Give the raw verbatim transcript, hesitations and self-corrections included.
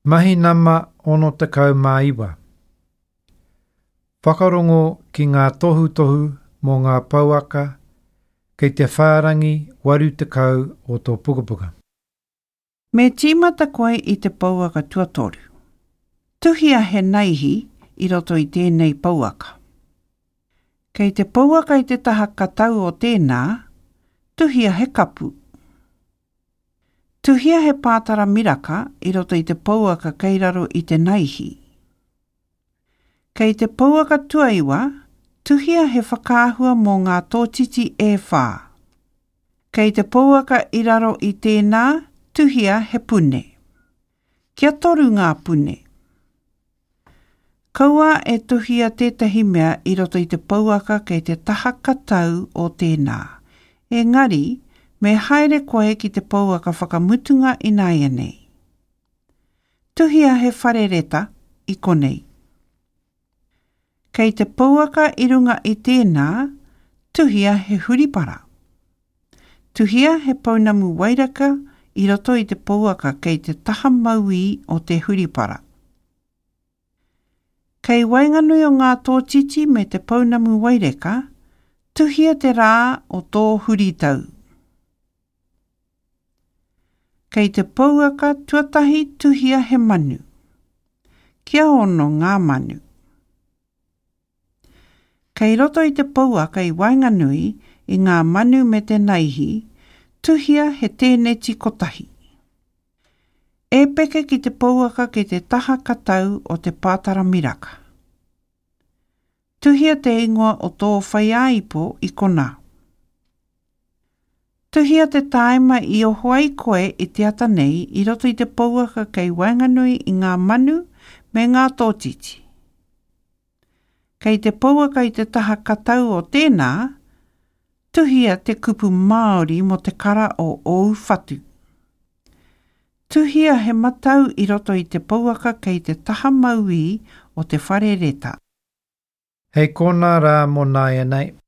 Mahi nama ono tekau mā iwa. Whakarongo ki ngā tohutohu mō ngā pouaka kei te whārangi waru tekau o tō pukapuka. Me tīmata koe i te pouaka tuatoru. Tuhia he naihi i roto i tēnei pouaka. Kei te pouaka i te taha katau o tēnā, tuhia he kapu. Tuhia he pātara miraka i roto i te pouaka kei raro i te naihi. Kei te pouaka tuaiwa, tuhia he whakaahua mō ngā tōtiti e whā. Kei te pouaka i raro i tēnā, tuhia he pune. Kia toru ngā pune. Kaua e tuhia tētahi mea i roto i te pouaka kei te taha katau o tēnā. Engari, me haere koe ki te pouaka whakamutunga ināianei. Tuhia he whare reta i konei. Kei te pouaka i runga i tēnā, tuhia he huripara. Tuhia he pounamu wairaka i roto i te pouaka kei te taha mauī o te huripara. Kei waenganui o ngā tōtiti me te pounamu waireka, tuhia te rā o tō huritau. Kei te pouaka tuatahi tuhia he manu. Kia ono ngā manu. Kei roto i te pouaka i waenganui i ngā manu me te naihi, tuhia he tēneti kotahi. E peke ki te pouaka ki te taha katau o te pātara miraka. Tuhia te ingoa o tō whaiāipo i konā. Tuhia te tāima i oho ai koe i te ata nei i roto i te pouaka kei waenganui i ngā manu me ngā tōtiti. Kei te pouaka i te taha katau o tēnā, tuhia te kupu Māori mō te kara o ōu whatu. Tuhia he matau i roto i te pouaka kei te taha mauī o te whare reta. Hei konā rā mō nāianei.